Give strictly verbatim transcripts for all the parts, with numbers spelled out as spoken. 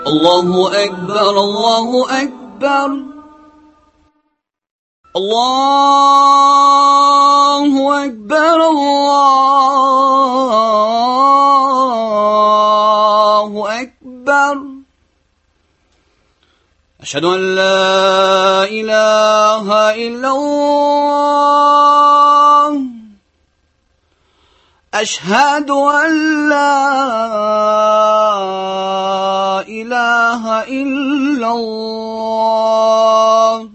الله أكبر الله أكبر الله أكبر الله أكبر أشهد أن لا إله إلا الله أشهد أن لا إله إلا الله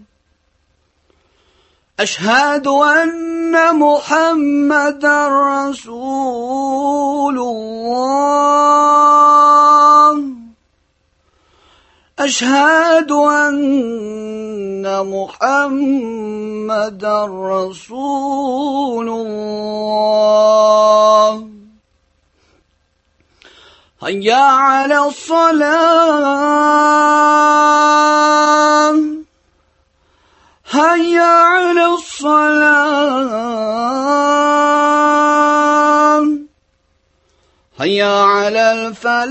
أشهد أن محمدا رسول الله أشهد أن محمدا رسول الله هيا على الصلاة هيا على الصلاة هيا على الفلاح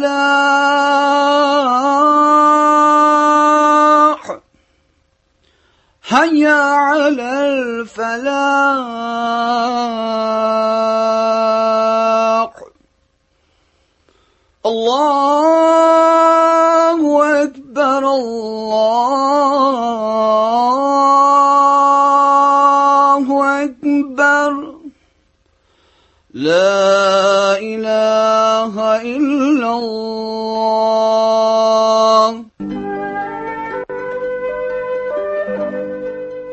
هيا على الفلاح الله أكبر الله أكبر لا إله إلا الله.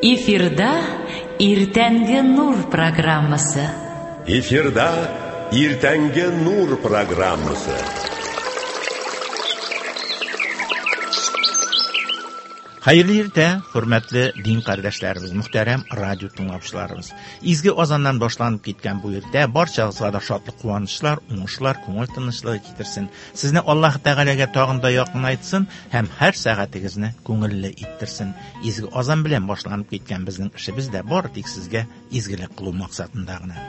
Эфирда Иртәнге Нур программасы. Эфирда Иртәнге Нур программасы. Хәерле иртә, хөрмәтле дин кардәшләребез, мөхтәрәм радио тыңлаучыларыбыз. Изге азаннан башланып киткән бу иртә барчагызга да шатлык, куанычлар, уңышлар, күңел тынычлыгы китерсен. Сезне Аллаһ Тәгаләгә тагын да якынайтсын һәм һәр сәгатегезне күңелле иттерсен. Изге азан белән башланып киткән безнең эшебез дә бары тик сезгә изгелек кылу максатында гына.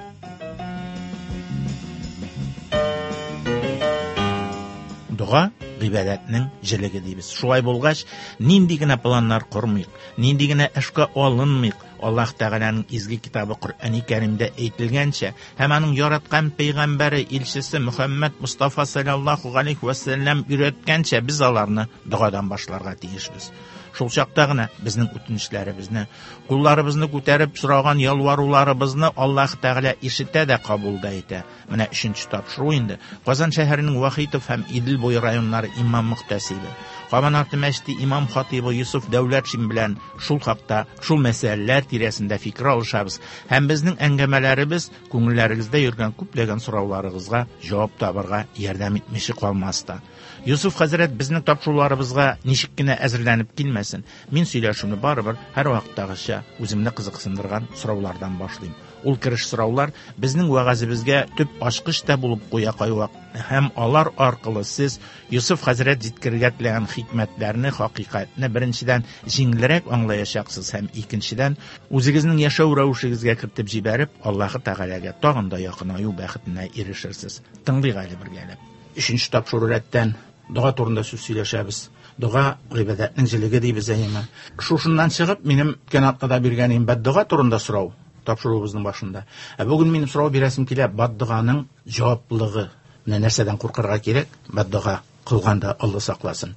Дога гыйбадәтнең җелеге дибез. Шулай булгач, нинди генә планнар кормыйк, нинди генә эшкә алынмыйк, Аллаһ Тәгаләнең изге китабы Коръәни Кәримдә әйтелгәнчә һәм аның яраткан пәйгамбәре илчесе Мөхәммәд Мустафа саллаллаһу алейхи ва саллям өйрәткәнчә без аларны догадан башларга тиешбез. Шул чакта гына безнең үтенечләребезне, кулларыбызны күтәреп сораган ялваруларыбызны Аллаһ Тәгалә ишетә дә кабул да итә. Менә өченче тапшыру инде. Казан шәһәренең Вахитов һәм Идел буе районнары имам мөхтәсибе, Кабан арты мәчете имам хатибы Юсуф Дәүләтшин белән шул хакта, шул мәсьәләләр тирәсендә фикер алышабыз. Һәм безнең әңгәмәләребез күңелләрегездә йөргән күпләгән сорауларыгызга җавап табарга ярдәм итмичә калмас та. Юсуф хәзрәт безнең тапшыруларыбызга ничек кенә әзерләнеп килмәсен, мин сөйләшүне барыбер һәр вакыттагыча үземне кызыксындырган сораулардан башлыйм. Ул кереш сораулар безнең вәгазебезгә төп ачкыч та булып куя кайвак һәм алар аркылы сез Юсуф хәзрәт җиткерергә теләгән хикмәтләрне, хакыйкатьне беренчедән җиңелрәк аңлаячаксыз һәм икенчедән үзегезнең яшәү рәвешегезгә кертеп җибәреп, Аллаһы Тәгаләгә тагын да якынаю бәхетенә ирешерсез. Тыңлыйк әле бергәләп. Өченче тапшыру рәттән дога турында сүз сөйләшәбез. Дога гыйбадәтнең җелеге дибез әйеме. Шушыннан чыгып, минем үткән атнада биргән бәддога турында сорау тапшыруыбызның башында. Ә бүген минем сорау бирәсем килә, бәддоганың җаваплылыгы. Менә нәрсәдән куркырга кирәк? Бәддога кылганда Алла сакласын.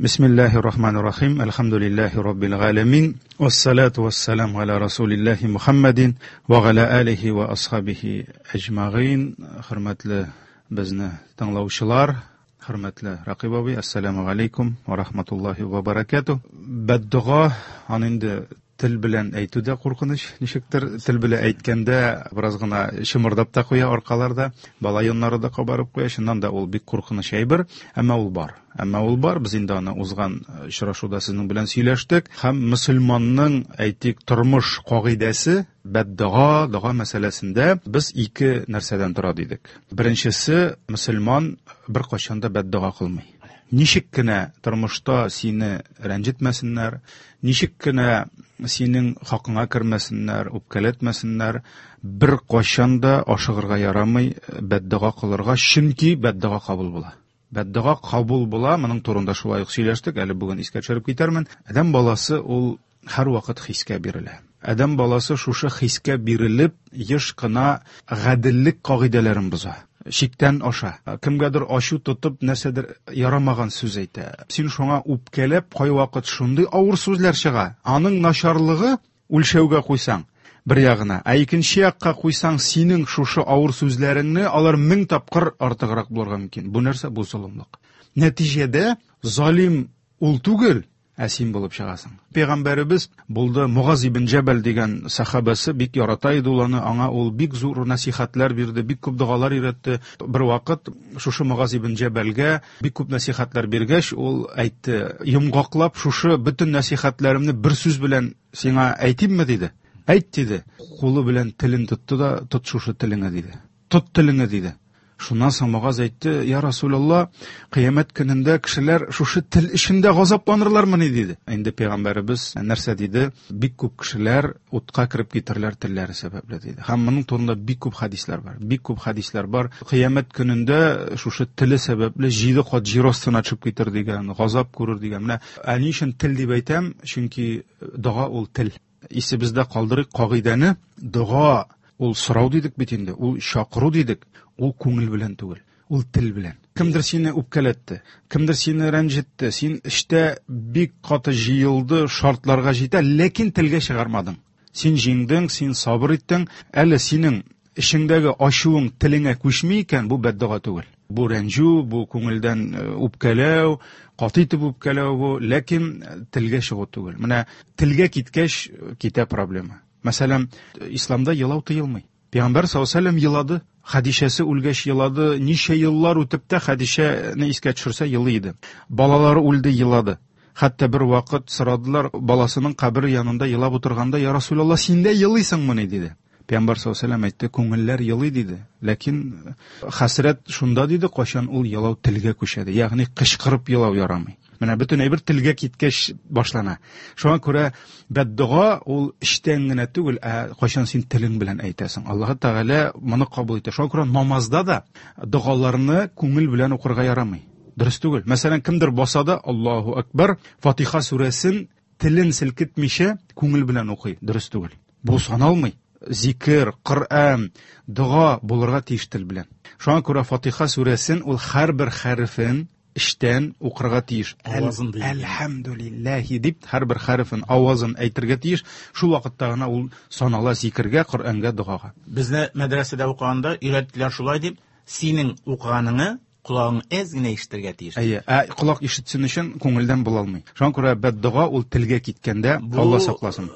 Бисмиллахир-рахманир-рахим. Әлхәмдүлиллаһи раббил галәмин. Вассалату вассаламу аля расулиллаһи Мухаммадин ва аля алихи ва асхабихи әҗмәгыйн. Хөрмәтле безне тыңлаучылар, хөрмәтле Рақиб абый, ассаламу алейкум ва рахматуллаһи ва баракатуh. Бәддуга аны инде тел белән әйтү дә куркыныч, ничектер тел белән әйткәндә бераз гына чымырдап та куя аркаларда, бала йоннары да кабарып куя. Чыннан да ул бик куркыныч әйбер, әмма ул бар. Әмма ул бар, без инде аны узган очрашуда сезнең белән сөйләштек. Һәм мөселманның, әйтик, тормыш кагыйдәсе бәддуга, дога мәсьәләсендә без ике нәрсәдән тора дидек. Беренчесе, мөселман беркайчан да бәддуга кылмый. Ничек кенә тормышта сине рәнҗетмәсеннәр, ничек кенә синең хакыңа кермәсеннәр, үпкәләтмәсеннәр, бер кайчан да ашыгырга ярамый бәддуга кылырга, чөнки бәддуга кабул була. Бәддога кабул була, моның турында шулай ук сөйләштек, әле бүген искә төшереп китәрмен. Адәм баласы ул һәрвакыт хискә бирелә. Адәм баласы шушы хискә бирелеп, еш кына гаделлек кагыйдәләрен боза. Чиктән аша. Кемгәдер ачу тотып, нәрсәдер ярамаган сүз әйтә. Син шуңа үпкәләп, кайвакыт шундый авыр сүзләр чыга. Аның начарлыгы үлчәүгә куйсаң бер ягына, ә икенче якка куйсаң, синең шушы авыр сүзләреңне алар мең тапкыр артыграк булырга мөмкин. Бу нәрсә? Бу золымлык. Нәтиҗәдә залим ул түгел, ә син булып чыгасың. Пәйгамбәребез булды Мугаз ибн Җәбәл дигән сахабасы, бик ярата иде ул аны, аңа ул бик зур насихатлар бирде, бик күп догалар өйрәтте. Бер вакыт шушы Мугаз ибн Җәбәлгә бик күп насихатлар биргәч, ул әйтте: "Йомгаклап шушы бөтен насихатларымны бер сүз белән сиңа әйтимме?" диде. Әйт диде. Кулы белән телен тотты да, тот шушы телеңе диде. Тот телеңе диде. Шуннан соң Мугаз әйтте: "Я Расулалла, кыямәт көнендә кешеләр шушы тел эчендә газапланырлармыни?" диде. Инде пәйгамбәребез нәрсә диде? Бик күп кешеләр утка кереп китерләр телләре сәбәпле диде. Һәм моның турында бик күп хәдисләр бар. Бик күп хәдисләр бар. Кыямәт көнендә шушы теле сәбәпле җиде кат җир астына төшеп китер дигән, газап күрер дигән. Менә ә ни өчен тел дип әйтәм? Чөнки дога ул тел. Исебездә калдырыйк кагыйдәне. Дога ул сорау дидек бит инде, ул чакыру дидек, ул күңел белән түгел, ул тел белән. Кемдер сине үпкәләтте, кемдер сине рәнҗетте, син эштә бик каты җыелды, шартларга җитә, ләкин телгә чыгармадың. Син җиңдең, син сабыр иттең, әле синең эчеңдәге ачуың телеңә күчми икән, бу бәддога түгел. Бу рәнҗү, бу күңелдән үпкәләү, каты итеп үпкәләү бу, ләкин телгә чыгу түгел. Менә телгә киткәч китә проблема. Мәсәлән, исламда елау тыелмый. Пәйгамбәр саллаллаһу алейһи ва сәлләм елады, Хәдичәсе үлгәч елады, ничә еллар үтеп тә Хәдичәне искә төшерсә елый иде. Балалары үлде, елады. Хәтта бер вакыт сорадылар, баласының кабере янында елап утырганда, "Я Расулалла, син дә елыйсыңмыни?" диде. Пәйгамбәр саллаллаһу алейһи ва сәлләм әйтте, күңелләр елый диде. Ләкин хәсрәт шунда диде, кайчан ул елау телгә күчә, ягъни кычкырып елау ярамый. Менә бөтен әйбер телгә киткәч башлана. Шуңа күрә бәддуга ул эчтән генә түгел, ә кайчан син телең белән әйтәсең. Аллаһ Тәгалә моны кабул итә. Шуңа күрә намазда да догаларны күңел белән укырга ярамый. Дөрес түгел. Мәсәлән, кемдер баса да Аллаһу акбар, Фатиха сүрәсен телен селкетмичә күңел белән укый. Дөрес түгел. Бу саналмый. Зикер, Коръән, дога булырга тиеш тел белән. Шуңа күрә Фатиха сүрәсен ул һәрбер хәрефен эчтән укырга тиеш. Әлхәмдүлилләһи дип һәрбер хәрефен, авазын әйтергә тиеш. Шул вакытта гына ул санала зикергә, Коръәнгә, догага. Безне мәдрәсәдә укыганда өйрәттеләр шулай дип, синең укыганыңны колагың әз генә ишетергә тиеш. Әйе, ә колак ишетсен өчен күңелдән була алмый. Шуңа күрә бәддога ул телгә киткәндә, Алла сакласын.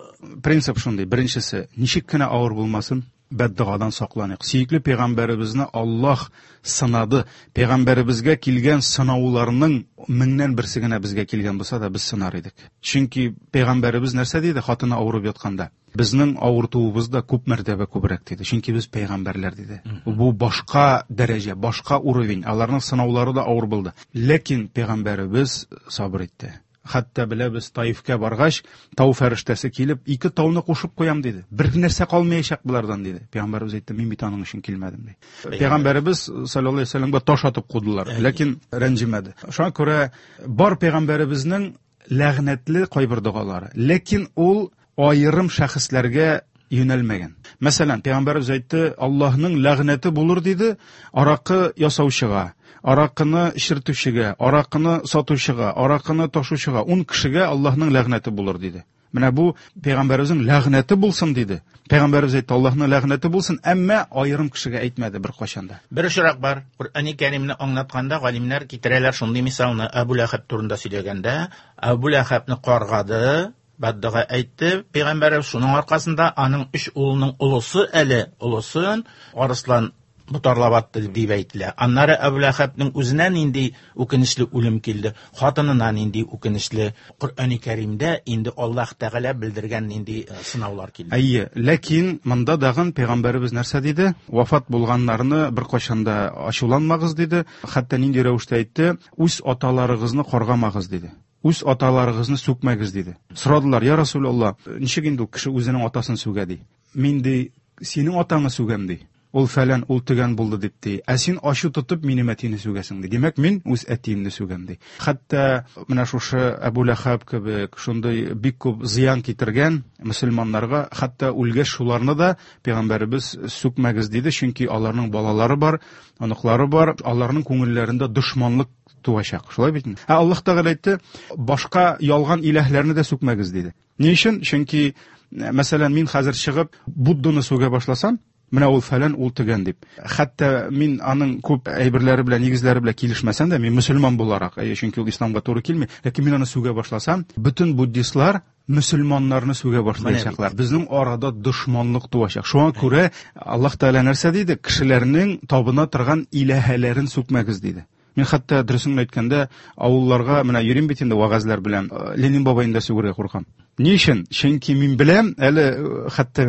Принцип шундый. Беренчесе, ничек кенә авыр булмасын, бәддогадан сакланыйк. Сөекле пәйгамбәребезне Аллаһ сынады. Пәйгамбәребезгә килгән сынауларның меңнән берсе генә безгә килгән булса да, без сынар идек. Чөнки пәйгамбәребез нәрсә диде хатыны авырып ятканда? Безнең авыртуыбыз да күп мәртәбә күбрәк диде. Чөнки без пәйгамбәрләр диде. Бу башка дәрәҗә, башка уровень. Аларның сынаулары да авыр булды. Ләкин пәйгамбәребез сабыр итте. Хәтта беләбез, Таифкә баргач, тау фәрештәсе килеп, ике тауны кушып куям диде. Бер нәрсә калмаячак булардан диде. Пәйгамбәребез әйтте, мин бит аның өчен килмәдем ди. Пәйгамбәребез саллаллаһу алейһи ва сәлләмгә таш атып кудылар, ләкин рәнҗемәде. Шуңа күрә бар пәйгамбәребезнең ләгънәтле кайбер догалары, ләкин ул аерым шәхесләргә юнәлмәгән. Мәсәлән, пәйгамбәребез әйтте, Аллаһның ләгънәте булыр диде, аракы ясаучыга, аракыны эчертүчегә, аракыны сатучыга, аракыны ташучыга, ун кешегә Аллаһның ләгънәте булыр диде. Менә бу пәйгамбәребезнең ләгънәте булсын диде. Пәйгамбәребез әйтте, Аллаһның ләгънәте булсын, әмма аерым кешегә әйтмәде бер кайчан да. Бер очрак бар. Коръәни Кәримне аңлатканда галимнәр китерәләр шундый мисалны. Әбу Ләһәб турында сөйләгәндә, Әбу Ләһәбне каргады, бәддуга әйтте пәйгамбәребез, шуның аркасында аның өч улының олысы әле, олысын арыслан ботарлап атты дип әйтелә. Аннары Әбу Ләһәбнең үзенә нинди үкенечле үлем килде, хатынына нинди үкенечле. Коръәни Кәримдә инде Аллаһ Тәгалә белдергән нинди сынаулар килде. Әйе, ләкин монда дагын пәйгамбәребез нәрсә диде? Вафат булганнарны бер кайчан да ачуланмагыз диде. Хәтта нинди рәвештә әйтте? Үз аталарыгызны каргамагыз диде. Үз аталарыгызны сүкмәгез диде. Сорадылар, я Расулалла, ничек инде ул кеше үзенең атасын сүгә ди? Мин ди, синең атаңны сүгәм ди. Ул фәлән, ул төгән булды дип ди. Ә син ачу тотып минем әтине сүгәсең ди. Димәк, мин үз әтиемне сүгәм ди. Хәтта менә шушы Әбу Ләхәб кебек шундый бик күп зыян китергән мөселманнарга, хәтта үлгәч шуларны да пәйгамбәребез сүкмәгез диде, чөнки аларның балалары бар, оныклары бар, аларның күңелләрендә дошманлык туачак. Шулай бит? Ә Аллаһ Тәгалә әйтте, башка ялган иләһләрне дә сүкмәгез диде. Ни өчен? Чөнки, мәсәлән, мин хәзер чыгып Будданы сүгә башласам, менә ул фәлән, ул төгән дип. Хәтта мин аның күп әйберләре белән, нигезләре белән килешмәсәм дә, мин мөселман буларак, әйе, чөнки ул исламга туры килми, ләкин мин аны сүгә башласам, бөтен буддистлар мөселманнарны сүгә башлаячаклар. Безнең арада дошманлык туачак. Шуңа күрә Аллаһ Тәгалә нәрсә диде? Кешеләрнең табына торган иләһәләрен сүкмәгез диде. Мин хәтта дөресен әйткәндә, авылларга менә йөрим бит инде вәгазьләр белән, Ленин бабайны да сүгергә куркам. Ни өчен? Чөнки мин беләм, әле хәтта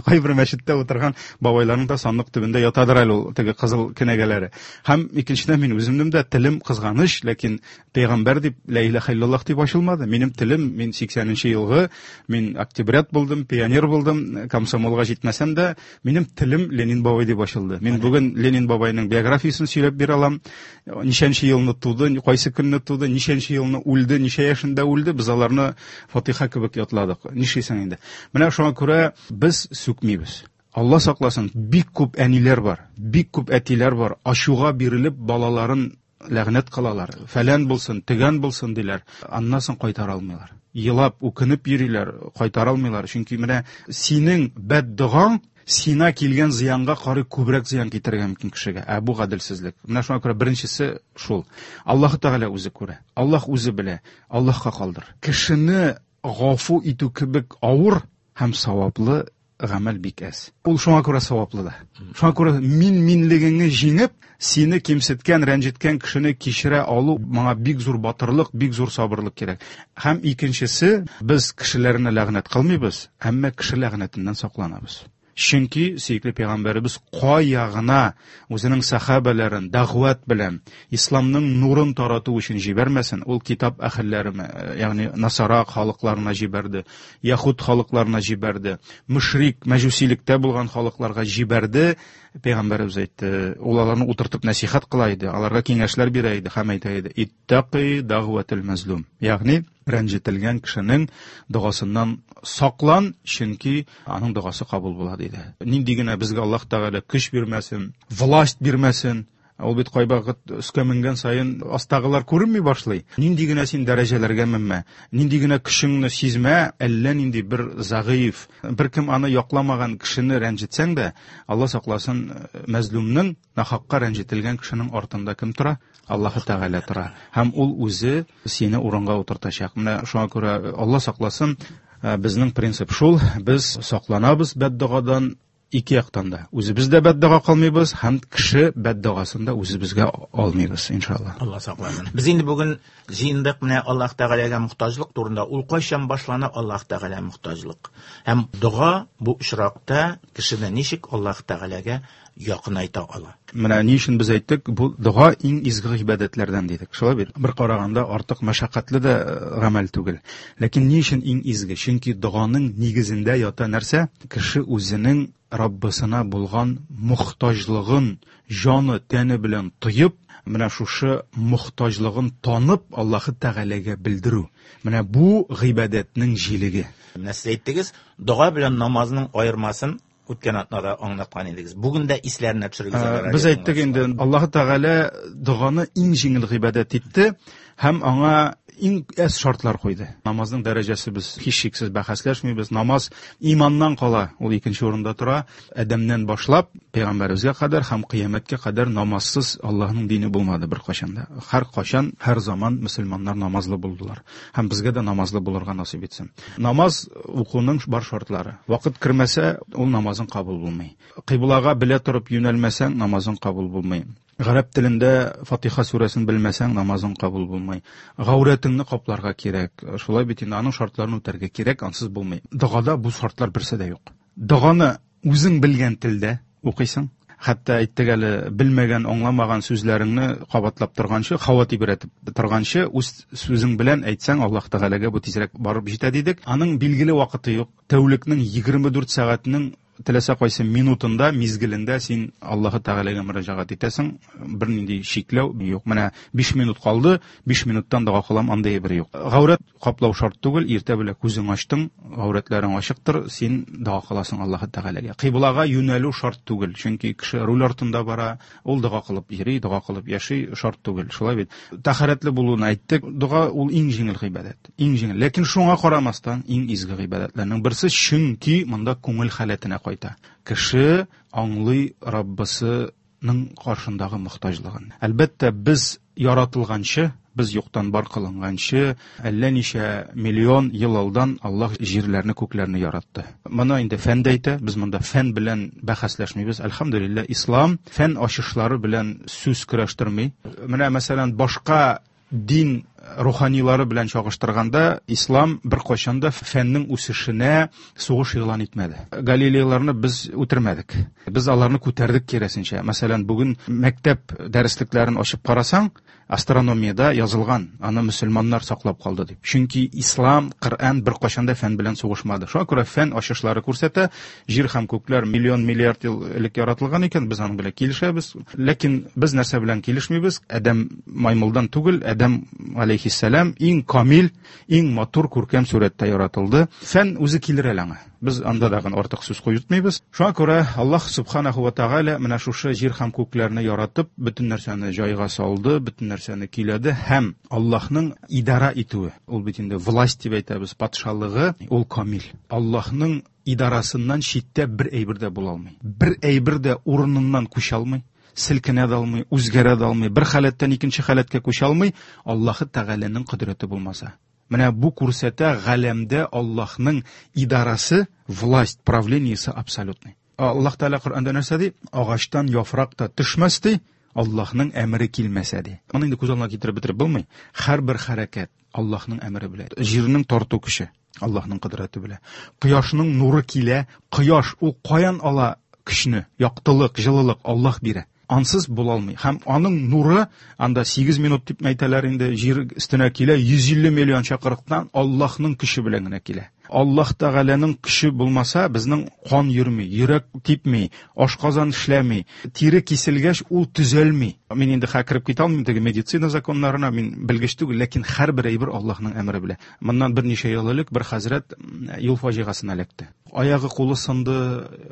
кайбер мәчеттә утырган бабайларның да сандык төбендә ятадыр әле ул теге кызыл кенәгәләре. Һәм икенчедән, мин үземнең дә телем кызганыч, ләкин пәйгамбәр дип ла илаһа иллаллаһ дип ачылмады. Минем телем, мин сиксәненче елгы, мин октябрят булдым, пионер булдым, комсомолга җитмәсәм дә, минем телем Ленин бабай дип ачылды. Мин бүген Ленин бабайның биографиясен сөйләп бирә алам. Ничәнче елны туды, кайсы көнне туды, ничәнче елны үлде, ничә яшендә үлде, без аларны Фатиха кебек ятладык. Нишлисең инде? Менә шуңа күрә без сүкмибез. Алла сакласын, бик күп әниләр бар, бик күп әтиләр бар, ачуга бирелеп балаларын ләгънәт кылалар. Фәлән булсын, төгән булсын диләр. Аннан соң кайтара алмыйлар. Елап, үкенеп йөриләр, кайтара алмыйлар. Чөнки менә синең бәддогаң сиңа килгән зыянга карый күбрәк зыян китерергә мөмкин кешегә. Ә бу гаделсезлек. Менә шуңа күрә беренчесе шул. Аллаһ Тәгалә үзе күрә. Аллаһ үзе белә. Аллаһка калдыр. Кешене гафу итү кебек авыр һәм саваплы гамәл бик әз. Ул шуңа күрә саваплы да. Шуңа күрә мин-минлегеңне җиңеп, сине кимсеткән, рәнҗеткән кешене кичерә алу моңа бик зур батырлык, бик зур сабырлык кирәк. Һәм икенчесе, без кешеләрне ләгънәт кылмыйбыз, әмма кеше ләгънәтеннән сакланабыз. Чөнки сөекле пәйгамбәребез кая гына үзенең сахабәләрен дәгъват белән исламның нурын тарату өчен җибәрмәсен, ул китап әһелләрене, ягъни насара халыкларына җибәрде, яһүд халыкларына җибәрде, мөшрик, мәҗүсилектә булган халыкларга җибәрде. Пәйгамбәребез әйтте, ул аларны утыртып нәсихәт кыла иде, аларга киңәшләр бирә иде һәм әйтә иде: "Иттақи дәгъватул мазлум." Ягъни рәнҗетелгән кешенең догасыннан саклан, чөнки аның догасы кабул була диде. Нинди генә безгә Аллаһ Тәгалә көч бирмәсен, власть бирмәсен, ул бит кайвакыт өскә менгән саен астагылар күренми башлый. Нинди генә син дәрәҗәләргә менмә, нинди генә көчеңне сизмә, әллә нинди бер зәгыйф, беркем аны якламаган кешене рәнҗетсәң дә, Алла сакласын, мәзлумның, нахакка рәнҗетелгән кешенең артында кем тора? Аллаһ Тәгалә тора. Һәм ул үзе сине урынга утыртачак. Менә шуңа күрә Алла сакласын, безнең принцип шул, без сакланабыз бәддогадан ике яктан да. Үзебез дә бәддога кылмыйбыз һәм кеше бәддогасын да үзебезгә алмыйбыз, иншалла. Алла сакласын. Без инде бүген җыендык менә Аллаһ Тәгаләгә мохтаҗлык турында. Ул кайчан башлана Аллаһ Тәгалә мохтаҗлык? Һәм дога бу очракта кешене ничек Аллаһ Тәгаләгә якынайта ала? Менә ни өчен без әйттек, бу дога иң изге гыйбадәтләрдән дидек. Шулай бит? Бер караганда артык мәшәкатьле дә гамәл түгел. Ләкин ни өчен иң изге? Чөнки доганың нигезендә ята нәрсә? Кеше үзенең Раббысына булган мохтаҗлыгын җаны, тәне белән тоеп, менә шушы мохтаҗлыгын танып Аллаһы Тәгаләгә белдерү. Менә бу гыйбадәтнең җилеге. Менә сез әйттегез, дога белән намазның аермасын үткән атнада аңлаткан идегез. Бүген дә исләренә төшерегез. Ә, без әйттек инде, Аллаһы Тәгалә доганы иң җиңел гыйбадәт итте һәм аңа иң әз шартлар куйды. Намазның дәрәҗәсе без һичшиксез бәхәсләшмибез. Намаз иманнан кала, ул икенче урында тора. Адәмнән башлап пәйгамбәребезгә кадәр һәм кыямәткә кадәр намазсыз Аллаһның дине булмады бер кайчан да. Һәр кайчан, һәр заман мөселманнар намазлы булдылар. Һәм безгә дә намазлы булырга насыйп итсен. Намаз укуның бар шартлары. Вакыт кермәсә, ул намазың кабул булмый. Кыйблага белә торып юнәлмәсәң, намазың кабул булмый. Гарәп телендә Фатиха сүрәсен белмәсәң, намазың кабул булмый. Гаурәтеңне капларга кирәк. Шулай бит инде, аның шартларын үтәргә кирәк, ансыз булмый. Догада бу шартлар берсе дә юк. Доганы үзең белгән телдә укыйсың. Хәтта әйттек әле, белмәгән, аңламаган сүзләреңне кабатлап торганчы, һава тибрәтеп торганчы, үз сүзең белән әйтсәң, Аллаһ Тәгаләгә бу тизрәк барып җитә дидек. Аның билгеле вакыты юк. Тәүлекнең егерме дүрт сәгатенең теләсә кайсы минутында, мизгелендә син Аллаһы Тәгаләгә мөрәҗәгать итәсең, бернинди чикләү юк. Менә биш минут калды, биш минуттан дога кылам, андый бер юк. Гаурәт каплау шарт түгел, иртә белән күзең ачтың, гаурәтләрең ачыктыр, син дога кыласың Аллаһы Тәгаләгә. Кыйблага юнәлү шарт түгел, чөнки кеше руль артында бара, ул дога кылып йөри, дога кылып яши, шарт түгел. Шулай бит. Тәһарәтле булуны әйттек. Дога ул иң җиңел гыйбадәт, иң җиңел. Ләкин шуңа карамастан иң изге гыйбадәтләрнең берсе, чөнки монда күңел халәтенә кайта. Кеше аңлый Раббысының каршындагы мохтаҗлыгын. Әлбәттә, без яратылганчы, без юктан бар кылынганчы, әллә ничә миллион ел алдан Аллаһ җирләрне, күкләрне яратты. Моны инде фән дә әйтә, без монда фән белән бәхәсләшмибез. Әлхәмдүлилләһ, ислам фән ачышлары белән сүз көрәштерми. Менә мәсәлән, башка дин руханилары белән чагыштырганда, ислам беркайчан да фәннең үсешенә сугыш игълан итмәде. Галилейларны без үтермәдек. Без аларны күтәрдек киресенчә. Мәсәлән, бүген мәктәп дәреслекләрен ачып карасаң, астрономиядә язылган, аны мөселманнар саклап калды дип. Чөнки ислам, Коръән беркайчан да фән белән сугышмады. Шуңа күрә фән ачышлары күрсәтә, җир һәм күкләр миллион миллиард ел элек яратылган икән, без аның белән килешәбез. Ләкин без нәрсә белән килешмибез? Адәм маймылдан түгел, Адәм алейхиссәлам иң камил, иң матур күркәм сурәттә яратылды. Фән үзе килер әле аңа. Без анда дагын артык сүз куертмыйбыз. Шуңа күрә Аллаһ субханаху ва тааля менә шушы җир һәм күкләрне яратып, бөтен нәрсәне җайга салды, бөтен нәрсәне көйләде һәм Аллаһның идара итүе, ул бит инде власть дип әйтәбез, патшалыгы, ул камил. Аллаһның идарасыннан читтә бер әйбер дә була алмый. Бер әйбер дә урыныннан күчә алмый, селкенә дә алмый, үзгәрә дә алмый, бер халәттән икенче халәткә күчә алмый, Аллаһы Тәгаләнең кодрәте булмаса. Менә бу күрсәтә галәмдә Аллаһның идарасы, власть, правлениесе абсолютный. Аллаһ Тәгалә Коръәндә нәрсә ди? Агачтан яфрак та төшмәс ди, Аллаһның әмере килмәсә ди. Моны инде күз алдына китереп бетереп булмый. Һәрбер хәрәкәт Аллаһның әмере белән. Җирнең тарту көче Аллаһның кодрәте белән. Кояшның нуры килә, кояш ул каян ала көчне? Яктылык, җылылык Аллаһ бирә. Ансыз була алмый. Һәм аның нуры анда сигез минут дип әйтәләр инде, җир өстенә килә, йөз илле миллион чакырыктан Аллаһның көче белән генә килә. Аллаһ Тәгаләнең көче булмаса, безнең кан йөрми, йөрәк типми, ашказан эшләми, тире киселгәч ул төзәлми. Мин инде хәзер кереп китә алмыйм теге медицина законнарына, мин белгеч түгел, ләкин һәрбер әйбер Аллаһның әмере белән. Моннан берничә ел элек бер хәзрәт юл фаҗигасына эләкте. Аягы кулы сынды,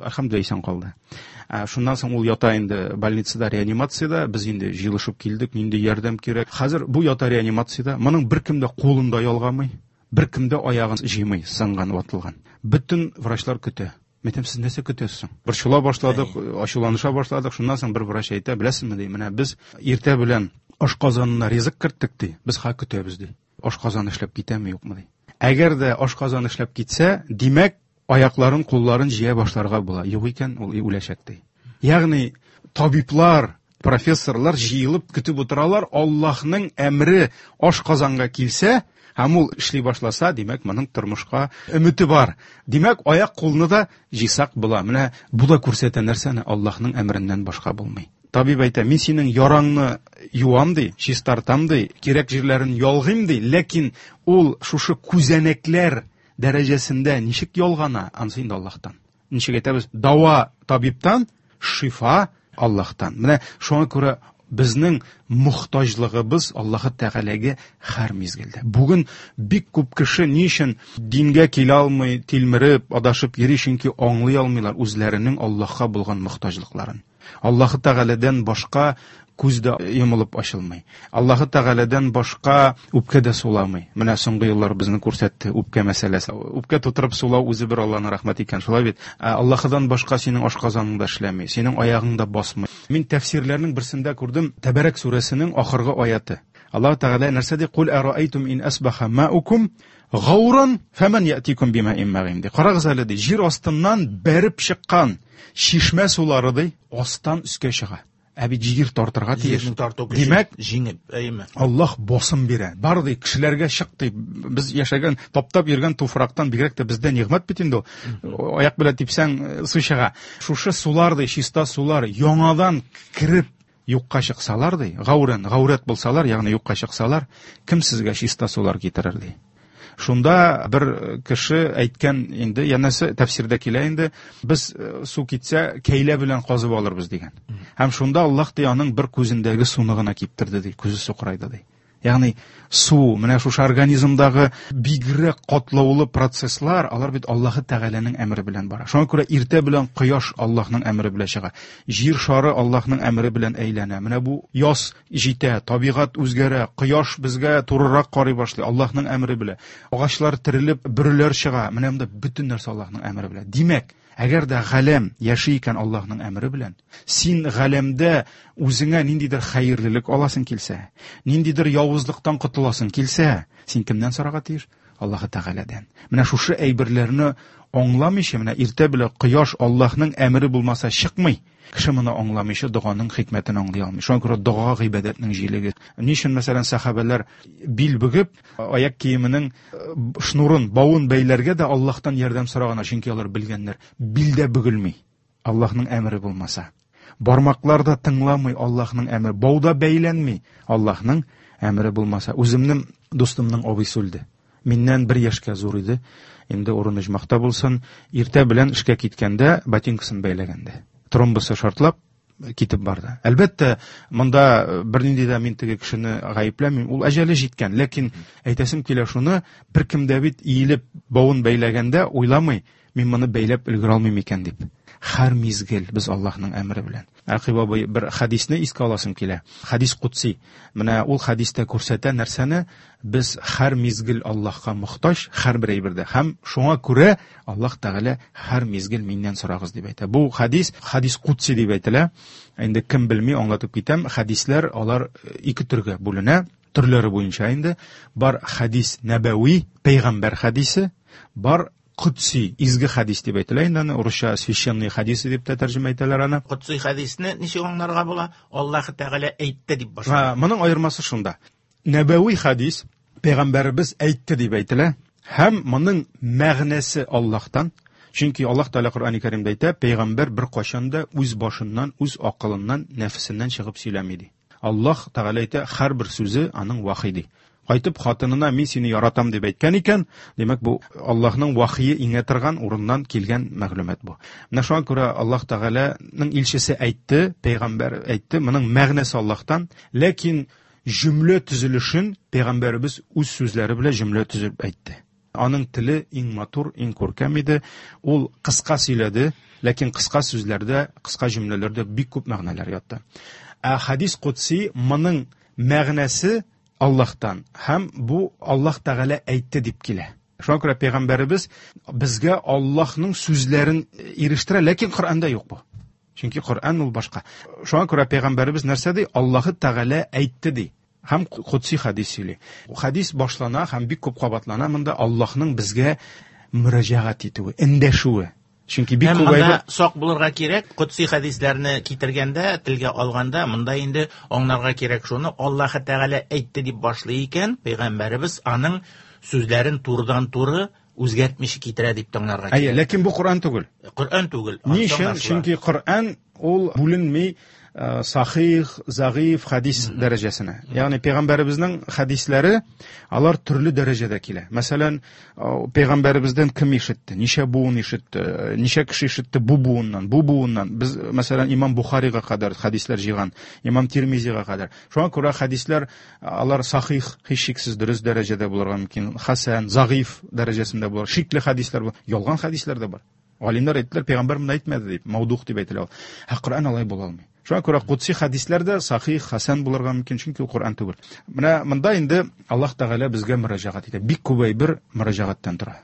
әлхәмдүлилләһ, исән калды. Ә, шуннан соң ул ята инде больницада, реанимациядә, без инде җыелышып килдек, нинди ярдәм кирәк. Хәзер бу ята реанимациядә, моның беркем дә кулын да ялгамый, беркем дә аягын җыймый, сынган, ватылган. Бөтен врачлар көтә. Мин әйтәм, сез нәрсә көтәсез соң? Борчыла башладык, ачуланыша башладык. Шуннан соң бер врач әйтә, беләсезме, ди, менә без иртә белән ашказанына ризык керттек, ди, без хәзер көтәбез, ди. Ашказан эшләп китәме, юкмы, ди. Әгәр дә ашказан эшләп китсә, димәк, аякларын, кулларын җыя башларга була. Юк икән, ул үләчәк, ди. Ягъни табиблар, профессорлар җыелып көтеп утыралар, Аллаһның әмре ашказанга килсә, һәм ул эшли башласа, димәк, моның тормышка өмете бар. Димәк, аяк кулны да җыйсак була. Менә бу да күрсәтә нәрсәне, Аллаһның әмереннән башка булмый. Табиб әйтә, мин синең яраңны юам ди, чистартам ди, кирәк җирләрен ялгыйм ди, ләкин ул шушы күзәнәкләр дәрәҗәсендә ничек ялгана, ансы инде Аллаһтан. Ничек әйтәбез, дава табибтан, шифа Аллаһтан. Менә шуңа күрә безнең мохтаҗлыгыбыз Аллаһы Тәгаләгә һәр мизгелдә. Бүген бик күп кеше ни өчен дингә килә алмый, тилмереп, адашып йөри, чөнки аңлый алмыйлар үзләренең Аллаһка булган мохтаҗлыкларын. Аллаһы Тәгаләдән башка күз дә йомылып ачылмый. Аллаһы Тәгаләдән башка үпкә дә суламый. Менә соңгы еллар безне күрсәтте үпкә мәсьәләсе. Үпкә тутырып сулау үзе бер Аллаһның рәхмәте икән, шулай бит. Ә Аллаһыдан башка синең ашказаның да эшләми, синең аягың да басмый. Мин тәфсирләрнең берсендә күрдем Тәбәрәк сүрәсенең ахыргы аяты. Аллаһ Тәгалә нәрсә ди? Кул араайтум ин асбаха маукум гауран фаман ятикум бимаин магин ди. Карагыз әле ди, җир астыннан бәреп чыккан чишмә сулары ди, астан өскә чыга. Ә бит җир тартырга тиеш. Җирнең тарту көче Димәк, җиңеп, әйеме? Аллаһ басым бирә. Бар ди, кешеләргә чык ди. Без яшәгән, таптап йөргән туфрактан бигрәк тә бездә нигъмәт бит инде ул. Аяк белән типсәң, су чыга. Шушы сулар ди, чиста сулар яңадан кереп юкка чыксалар ди, гаурән, гаурәт булсалар, ягъни юкка чыксалар, кем сезгә чиста сулар китерер ди? Шунда бер кеше әйткән инде, янәсе тәфсирдә килә инде, без су китсә кәйлә белән казып алырбыз дигән. Һәм шунда Аллаһ ди аның бер күзендәге суны гына киптерде ди, күзе сукырайды ди. Ягъни су, менә шушы организмдагы бигрәк катлаулы процесслар, алар бит Аллаһы Тәгаләнең әмере белән бара. Шуңа күрә иртә белән кояш Аллаһның әмере белән чыга. Җир шары Аллаһның әмере белән әйләнә. Менә бу яз җитә, табигать үзгәрә, кояш безгә турырак карый башлый Аллаһның әмере белән. Агачлар терелеп, бөреләр чыга. Менә монда бөтен нәрсә Аллаһның әмере белән. Димәк, әгәр дә галәм яши икән Аллаһның әмере белән, син галәмдә үзеңә ниндидер хәерлелек аласың килсә, ниндидер явызлыктан котыласың килсә, син кемнән сорарга тиеш? Аллаһы Тәгаләдән. Менә шушы әйберләрне аңламыйча, менә иртә белән кояш Аллаһның әмере булмаса чыкмый. Кеше моны аңламыйча доганың хикмәтен аңлый алмый. Шуңа күрә дога гыйбадәтнең җилеге. Ни өчен, мәсәлән, сәхабәләр бил бөгеп, аяк киеменең шнурын, бавын бәйләргә дә Аллаһтан ярдәм сораганнар, чөнки алар белгәннәр, бил дә бөгелми Аллаһның әмере булмаса. Бармаклар да тыңламый Аллаһның әмере, бау да бәйләнми Аллаһның әмере булмаса. Үземнең дустымның абыйсы үлде. Миннән бер яшькә зур иде. Инде урыны оҗмахта булсын. Иртә белән эшкә киткәндә ботинкасын бәйләгәндә тромбысы шартлап китеп барды. Әлбәттә, монда бернинди дә мин теге кешене гаепләмим, ул әҗәле җиткән. Ләкин әйтәсем килә шуны, беркем дә бит иелеп бавын бәйләгәндә уйламый, мин моны бәйләп өлгерә алмыйм икән дип. Һәр мизгел без Аллаһның әмере белән. Рәкыйп абый, бер хәдисне искә аласым килә. Хәдис кудси. Менә ул хәдистә күрсәтә нәрсәне? Без һәр мизгел Аллаһка мохтаҗ, һәр бер әйбердә. Һәм шуңа күрә Аллаһ Тәгалә һәр мизгел миннән сорагыз дип әйтә. Бу хәдис хәдис кудси дип әйтелә. Инде кем белми, аңлатып китәм. Хәдисләр алар ике төргә бүленә. Төрләре буенча инде бар хәдис нәбәви, пәйгамбәр хәдисе, бар кудси, изге хәдис дип әйтелә инде аны, урысча священный хәдисе дип тә тәрҗемә итәләр аны. Кудси хәдисне ничек аңларга була? Аллаһ Тәгалә әйтте дип башлана. Ха, моның аермасы шунда. Нәбәви хәдис пәйгамбәребез әйтте дип әйтелә һәм моның мәгънәсе Аллаһтан. Чөнки Аллаһ Тәгалә Коръән-и Кәримдә әйтә, пәйгамбәр бер кайчан да үз башыннан, үз акылыннан, нәфесеннән чыгып сөйләми ди. Аллаһ Тәгалә әйтә, һәрбер сүзе аның вахи ди. Кайтып хатынына мин сине яратам дип әйткән икән, димәк бу Аллаһның вахие иңә торган урыннан килгән мәгълүмат бу. Менә шуңа күрә Аллаһ Тәгаләнең илчесе әйтте, пәйгамбәр әйтте, моның мәгънәсе Аллаһтан, ләкин җөмлә төзелешен пәйгамбәребез үз сүзләре белән җөмлә төзеп әйтте. Аның теле иң матур, иң күркәм иде. Ул кыска сөйләде, ләкин кыска сүзләрдә, кыска җөмләләрдә бик күп мәгънәләр ятты. Ә хадис кудси моның мәгънәсе Аллаһтан һәм бу Аллаһ Тәгалә әйтте дип килә. Шуңа күрә пәйгамбәребез безгә Аллаһның сүзләрен ирештерә, ләкин Коръәндә юк бу. Чөнки Коръән ул башка. Шуңа күрә пәйгамбәребез нәрсә ди? Аллаһ Тәгалә әйтте ди. Һәм кудси хадис сөйли. Хадис башлана һәм бик күп кабатлана монда Аллаһның безгә мөрәҗәгать итүе, эндәшүе. Чөнки бик Һәм күп монда әйбер сак булырга кирәк, кудси хадисләрне китергәндә, телгә алганда, монда инде аңларга кирәк шуны, Аллаһ Тәгалә әйтте дип башлый икән, пәйгамбәребез аның сүзләрен турыдан-туры үзгәртмичә китерә дип тыңларга Әйе, кирәк. ләкин бу Коръән түгел. Коръән түгел. Ни өчен? Аңлашыла. Чөнки Коръән ул бүленми, э, сахих, загыйф хадис дәрәҗәсенә. Ягъни пәйгамбәребезнең хадисләре алар төрле дәрәҗәдә килә. Мәсәлән, э, пәйгамбәребездән кем ишетте, ничә буын ишетте, ничә кеше ишетте бу буыннан, бу буыннан. Без, мәсәлән, Имам Бухарига кадәр хадисләр җыйган, Имам Тирмизига кадәр. Шуңа күрә хадисләр алар сахих, һичшиксез дөрес дәрәҗәдә булырга мөмкин, хасан, загыйф дәрәҗәсендә булыр, шикле хадисләр бар, ялган хадисләр дә бар. Галимнәр әйттеләр, пәйгамбәр моны әйтмәде дип, маудух дип әйтелә ул. Ә Коръән алай була алмый. Шуңа күрә кудси хадисләр дә сахих, хасан булырга мөмкин, чөнки ул Коръән түгел. Менә монда инде Аллаһ Тәгалә безгә мөрәҗәгать итә. Бик күп әйбер мөрәҗәгатьтән тора.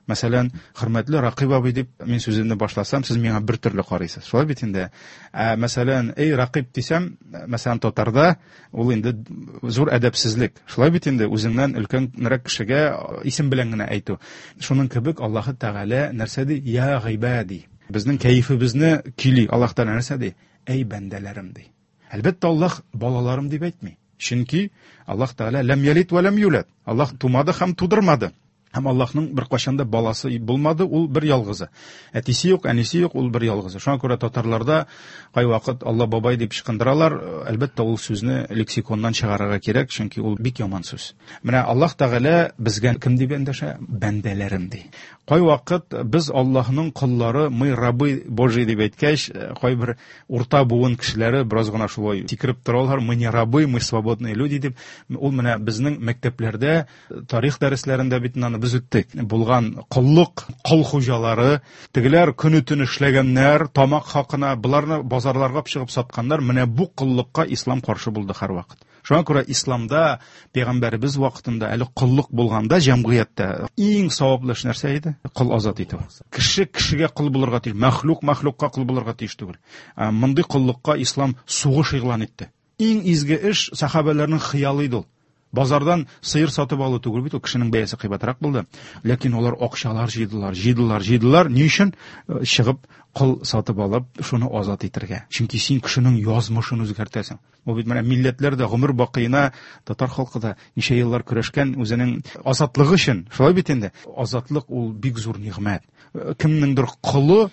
Мәсәлән, хөрмәтле Рәкыйп абый дип мин сүземне башласам, сез миңа бер төрле карыйсыз. Шулай бит инде. Ә, мәсәлән, эй Рәкыйп дисәм, мәсәлән, татарда ул инде зур әдәпсезлек. Шулай бит инде, үзеңнән өлкәнрәк кешегә исем белән генә әйтү. Шуның кебек Аллаһ Тәгалә нәрсә ди? Я гыйбади. Безнең кәефебезне көйли. Аллаһ Тәгалә нәрсә ди? Эй бәндәләрем ди. Әлбәттә, Аллаһ балаларым дип әйтми. Чөнки Аллаһ Тәгалә ләм ялид ва ләм юлад. Аллаһ тумады һәм тудырмады. Һәм Аллаһның бер кашанда баласы булмады, ул бер ялгызы. Әтисе юк, әнисе юк, ул бер ялгызы. Шуңа күрә татарларда кайвакыт Алла бабай дип ычкындыралар. Әлбәттә, ул сүзне лексиконнан чыгарырга кирәк, чөнки ул бик яман сүз. Менә Аллаһ Тәгалә безгә кем дип эндәшә? Бәндәләрем ди. Кайвакыт без Аллаһның коллары, мы рабы Божьи дип әйткәч, кайбер урта буын кешеләре бераз гына шулай сикереп торалар, мы не рабы, мы свободные люди дип. Ул менә безнең мәктәпләрдә тарих дәресләрендә бит аны без үттек. Булган коллык, кол хуҗалары, тегеләр көне-төне эшләгәннәр, тамак хакына, боларны базарларга чыгып сатканнар. Менә бу коллыкка ислам каршы булды һәрвакыт. Шуңа күрә исламда пәйгамбәребез вакытында әле коллык булганда җәмгыятьтә иң саваплы эш нәрсә иде? Кол азат итү. Кеше кешегә кол булырга тиеш, мәхлук мәхлукка кол булырга тиеш түгел. Мондый коллыкка ислам сугыш игълан итте. Иң изге эш сахабәләрнең хыялы иде ул. Базардан сыер сатып алу түгел бит, ул кешенең бәясе кыйбатрак булды. Ләкин алар акчалар җыйдылар, җыйдылар, җыйдылар. Ни өчен? Чыгып кол сатып алып, шуны азат итәргә. Чөнки син кешенең язмышын үзгәртәсең. Бу бит менә милләтләр дә гомер бакыена, татар халкы да ничә еллар көрәшкән үзенең азатлыгы өчен. Шулай бит инде. Азатлык ул бик зур нигъмәт. Кемнеңдер колы,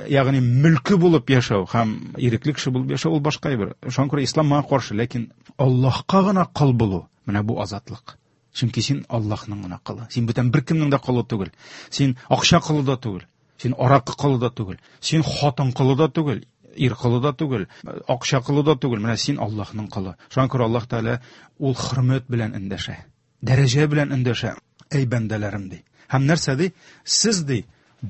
ягъни мөлке булып яшәү һәм ирекле кеше булып яшәү ул башка әйбер. Шуңа күрә ислам моңа каршы, ләкин Аллаһка гына кол булу, менә бу азатлык. Чөнки син Аллаһның гына колы. Син бүтән беркемнең дә колы түгел. Син акча колы да түгел. Син аракы колы да түгел. Син хатын колы да түгел, ир колы да түгел, акча колы да түгел. Менә син Аллаһның колы. Шуңа күрә Аллаһ Тәгалә ул хөрмәт белән эндәшә, дәрәҗә белән эндәшә. Эй бәндәләрем ди. Һәм нәрсә ди? Сез ди,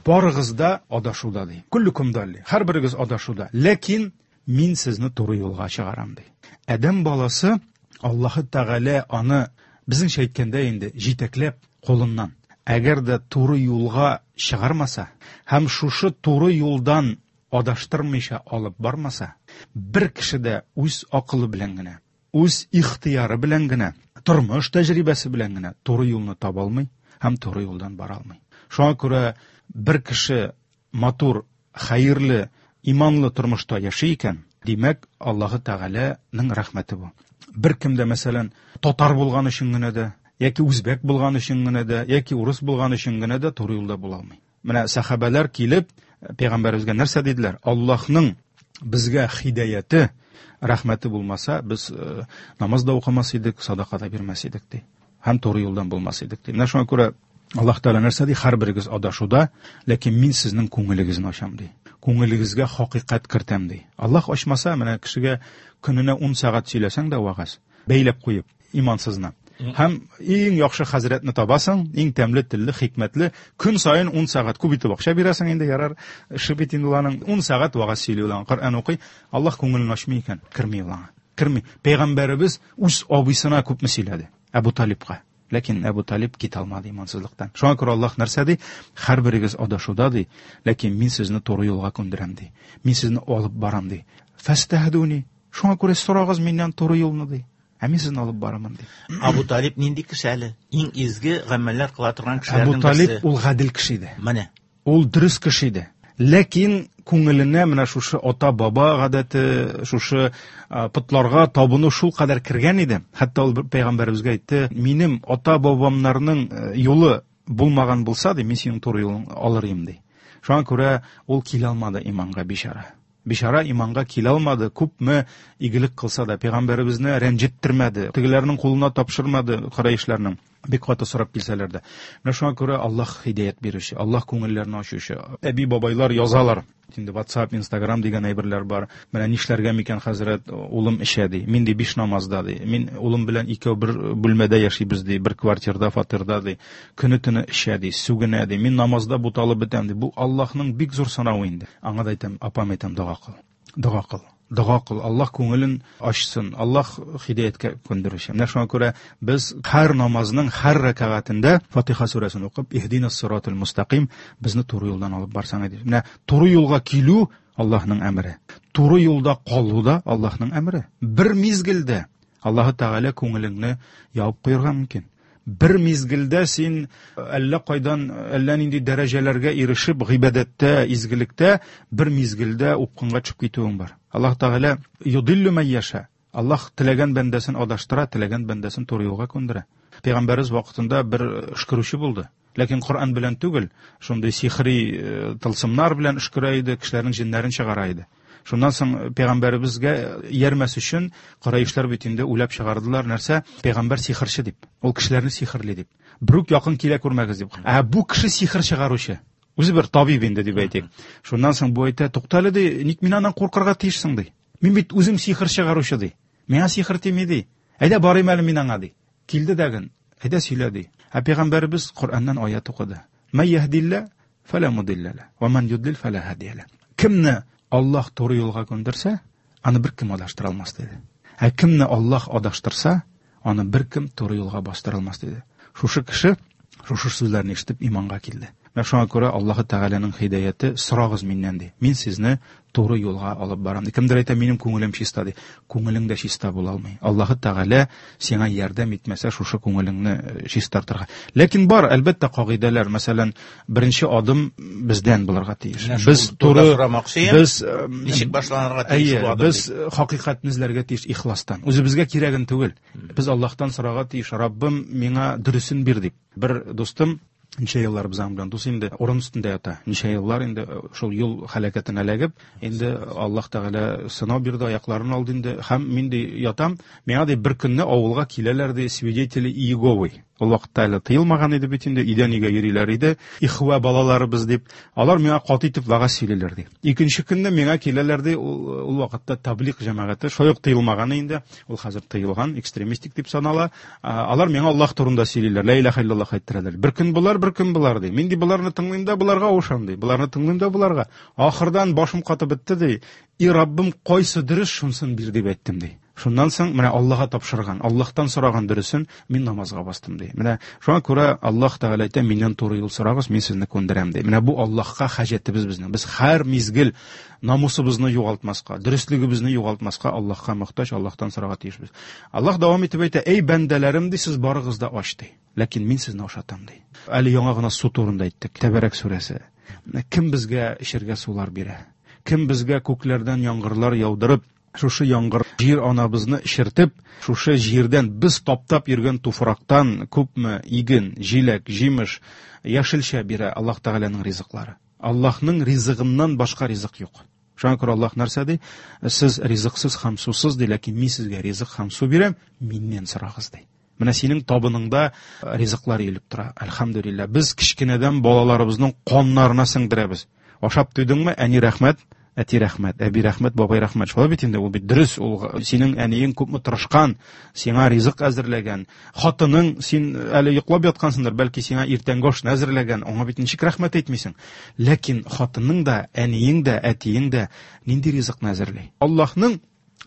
барыгыз да адашуда ди. Күллүкүм далли. Һәрберегез адашуда. Ләкин мин сезне туры юлга чыгарам ди. Адәм баласы Аллаһы Тәгалә аны безнеңчә әйткәндә инде җитәкләп кулыннан. Әгәр дә туры юлга чыгармаса һәм шушы туры юлдан адаштырмыйча алып бармаса, бер кеше дә үз акылы белән генә, үз ихтыяры белән генә, тормыш тәҗрибәсе белән генә туры юлны таба алмый һәм туры юлдан бара алмый. Шуңа күрә бер кеше матур, хәерле, иманлы тормышта яши икән, димәк, Аллаһы Тәгаләнең рәхмәте бу. Бер кем дә, мәсәлән, татар булган өчен генә дә, яки үзбәк булган өчен генә дә, яки урыс булган өчен генә дә туры юлда була алмый. Менә сахабәләр килеп, пәйгамбәребезгә нәрсә диделәр? Аллаһның безгә хидаяте, рәхмәте булмаса, без намаз да укымас идек, садака да бирмәс идек ди. Һәм туры юлдан булмас идек ди. Менә шуңа күрә Аллаһ Тәгалә нәрсә ди? Һәрберегез адашуда, ләкин мин сезнең күңелегезне ачам ди. Күңелегезгә хакыйкать кертәм ди. Аллаһ ачмаса, менә кешегә көненә ун сәгать сөйләсәң дә вагаз, бәйләп куеп имансызны. Һәм иң яхшы хәзрәтне табасың, иң тәмле телле, хикмәтле, көн саен ун сәгать күп итеп акча бирәсең инде, ярар, эше бит инде уларның ун сәгать вагаз сөйли уларның, Коръән укый, Аллаһ күңелен ачмый икән, керми уларга. Керми. Пәйгамбәребез үз абыйсына күпме сөйләде? Әбу Талибка. Ләкин Әбу Талиб китә алмады имансызлыктан. Шуңа күрә Аллаһ нәрсә ди? Һәрберегез адашуда ди, ләкин мин сезне туры юлга күндерәм ди. Мин сезне алып барам ди. Фәстәһдүни. Шуңа күрә сорагыз миннән туры юлны ди. Ә мин сезне алып барамын ди. Әбу Талиб нинди кеше әле? Иң изге гамәлләр кыла торган кешеләрнең Әбу Талиб берсе. ул гадел кеше иде. Менә. Ул дөрес кеше иде. Ләкин күңеленә менә шушы ата-баба гадәте, шушы потларга табыну шул кадәр кергән иде. Хәтта ул пәйгамбәребезгә әйтте, минем ата-бабамнарның юлы булмаган булса, ди, мин синең туры юлың алыр идем, ди. Шуңа күрә ул килә алмады иманга бичара. Бичара иманга килә алмады, күпме игелек кылса да, пәйгамбәребезне рәнҗеттермәде, тегеләрнең кулына тапшырмады, Курайшларның. Бик каты сорап килсәләр дә. Менә шуңа күрә Аллаһ һидәят бирүче, Аллаһ күңелләрне ачучы. Әби бабайлар язалар. Инде WhatsApp, Instagram дигән әйберләр бар. Менә нишләргә микән, хәзрәт, улым эчә ди. Мин ди биш намазда ди. Мин улым белән икәү бер бүлмәдә яшибез ди, бер квартирада, фатирда ди. Көне-төне эчә ди, сүгенә ди. Мин намазда буталып бетәм ди. Бу Аллаһның бик зур сынавы инде. Аңа да әйтәм, апам әйтәм, дога кыл. Дога кыл. Дога кыл. Аллаһ күңелен ачсын, Аллаһ һидәяткә күндерүче. Менә шуңа күрә без һәр намазның һәр рәкәгатендә Фатиха сүрәсен укып, Иһдинас сиратал мустақим, безне туры юлдан алып барсаң иде. Менә туры юлга килү Аллаһның әмере. Туры юлда калу да Аллаһның әмере. Бер мизгелдә Аллаһ Тәгалә күңелеңне ябып куярга мөмкин. Бер мизгелдә син әллә кайдан, әллә нинди дәрәҗәләргә ирешеп, гыйбадәттә, изгелектә бер мизгелдә упкынга төшеп китүең бар. Аллаһ Тәгалә юдиллю ман яша. Аллаһ теләгән бәндәсен адаштыра, теләгән бәндәсен туры юлга күндерә. Пәйгамбәребез вакытында бер өшкерүче булды. Ләкин Коръән белән түгел, шундый сихри тылсымнар белән өшкерә иде, кешеләрнең җеннәрен чыгара иде. Шуннан соң пәйгамбәребезгә иярмәс өчен Курайшлар бит инде уйлап чыгардылар нәрсә? Пәйгамбәр сихерче дип. Ул кешеләрне сихерли дип. Бер үк якын килә күрмәгез дип. Ә бу кеше сихер чыгаручы. Үзе бер табиб инде дип әйтик. Шуннан соң бу әйтә, туктале ди, ник мин аннан куркырга тиешсең ди. Мин бит үзем сихер чыгаручы ди. Миңа сихер тими ди. Әйдә барыйм әле мин аңа ди. Килде дәген. Әйдә сөйлә ди. Ә пәйгамбәребез Коръәннән аят укыды. Мә яһдилла фала мудилла ла, ва ман юдлил фала һадия ла. Кемне Аллаһ туры юлга күндерсә, аны бер кем адаштыра алмас диде. Ә кемне Аллаһ адаштырса, аны бер кем туры юлга бастыра алмас диде. Шушы кеше шушы сүзләрне ишетеп иманга килде. Менә шуңа күрә Аллаһ Тәгаләнең һидаяте сорагыз миннән ди. Мин сезне туры юлга алып барам ди. Кемдер әйтә, минем күңелем чиста ди. Күңелең дә чиста була алмый. Аллаһ Тәгалә сиңа ярдәм итмәсә, шушы күңелеңне чистартырга. Ләкин бар, әлбәттә, кагыйдәләр. Мәсәлән, беренче адым бездән булырга тиеш. Без туры без ничек башланырга тиеш бу адым? Без хакыйкатьне эзләргә тиеш ихластан. Үзебезгә кирәген түгел. Без Аллаһтан сорарга тиеш. Раббым, миңа дөресен бир дип. Бер дустым ничә еллар без аның белән дус инде, урын өстендә ята. Ничә еллар инде шул юл һәлакәтенә эләгеп, инде Аллаһ Тәгалә сынау бирде, аякларын алды инде. Һәм мин ди ятам, миңа ди бер көнне авылга киләләр ди свидетели Иеговы. Ул вакытта әле тыелмаган иде бит инде, өйдән өйгә йөриләр иде, ихва балаларыбыз дип. Алар миңа каты итеп вәгазь сөйлиләр ди. Икенче көнне миңа киләләр ди, ул, ул вакытта таблиг җәмәгате шулай ук тыелмаган инде, ул хәзер тыелган, экстремистик дип санала. Алар миңа Аллаһ турында сөйлиләр, ла илаһа иллаллаһ әйттерәләр. Бер көн болар, бер көн болар ди. Мин ди боларны тыңлыйм да боларга авышам ди. Боларны тыңлыйм да боларга. Ахырдан башым катып бетте ди. И Раббым, кайсы дөрес шунсын бир дип әйттем ди. Шуннан соң менә Аллаһка тапшырган, Аллаһтан сораган дөресен мин намазга бастым ди. Менә шуңа күрә Аллаһ Тәгалә әйтә, миннән туры юл сорагыз, мин сезне күндерәм ди. Менә бу Аллаһка хаҗәтебез безнең. Без һәр мизгел намусыбызны югалтмаска, дөреслегебезне югалтмаска Аллаһка мохтаҗ, Аллаһтан сорарга тиешбез. Аллаһ дәвам итеп әйтә, эй бәндәләрем ди, сез барыгыз да ач ди. Ләкин мин сезне ашатам ди. Әле яңа гына су турында әйттек. Тәбәрәк сүрәсе. Кем безгә эчәргә сулар бирә? Кем безгә күкләрдән яңгырлар яудырып, шушы яңгыр җир анабызны эчертеп, шушы җирдән без таптап йөргән туфрактан күпме иген, җиләк, җимеш, яшелчә бирә Аллаһ Тәгаләнең ризыклары. Аллаһның ризыгыннан башка ризык юк. Шуңа күрә Аллаһ нәрсә ди? Сез ризыксыз һәм сусыз ди, ләкин мин сезгә ризык һәм су бирәм, миннән сорагыз ди. Менә синең табыныңда ризыклар өелеп тора. Әлхәмдүлилләһ. Без кечкенәдән балаларыбызның каннарына сеңдерәбез. Ашап туйдыңмы? Әни рәхмәт, әти рәхмәт, әби рәхмәт, бабай рәхмәт. Шулай бит инде, ул бит дөрес, ул синең әниең күпме тырышкан, сиңа ризык әзерләгән. Хатының, син әле йоклап яткансыңдыр, бәлки сиңа иртәнге ашны әзерләгән, аңа бит ничек рәхмәт әйтмисең? Ләкин хатының да, әниең дә, әтиең дә нинди ризыкны әзерли? Аллаһның